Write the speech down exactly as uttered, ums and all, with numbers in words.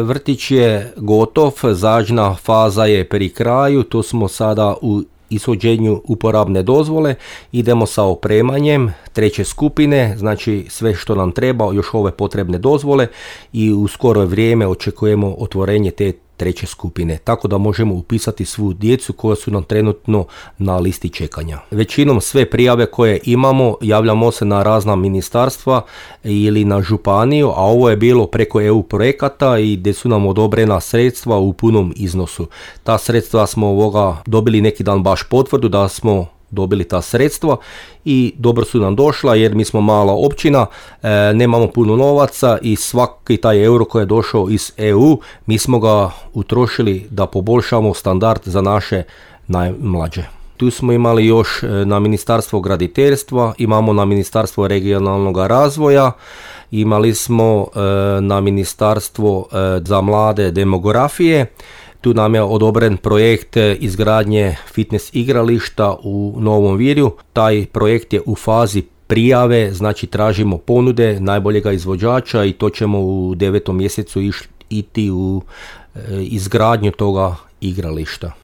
Vrtić je gotov, zažna faza je pri kraju, tu smo sada u ishođenju uporabne dozvole, idemo sa opremanjem treće skupine, znači sve što nam treba, još ove potrebne dozvole i u skoro vrijeme očekujemo otvorenje te treće skupine, tako da možemo upisati svu djecu koja su nam trenutno na listi čekanja. Većinom sve prijave koje imamo javljamo se na razna ministarstva ili na županiju, a ovo je bilo preko E U projekata i gdje su nam odobrena sredstva u punom iznosu. Ta sredstva smo ovoga dobili neki dan baš potvrdu da smo dobili ta sredstva i dobro su nam došla jer mi smo mala općina, e, nemamo puno novaca i svaki taj euro koji je došao iz E U mi smo ga utrošili da poboljšamo standard za naše najmlađe. Tu smo imali još na Ministarstvo graditeljstva, imamo na Ministarstvo regionalnog razvoja, imali smo e, na Ministarstvo e, za mlade demografije. Tu nam je odobren projekt izgradnje fitness igrališta u Novom Virju. Taj projekt je u fazi prijave, znači tražimo ponude najboljega izvođača i to ćemo u devetom mjesecu iti u izgradnju toga igrališta.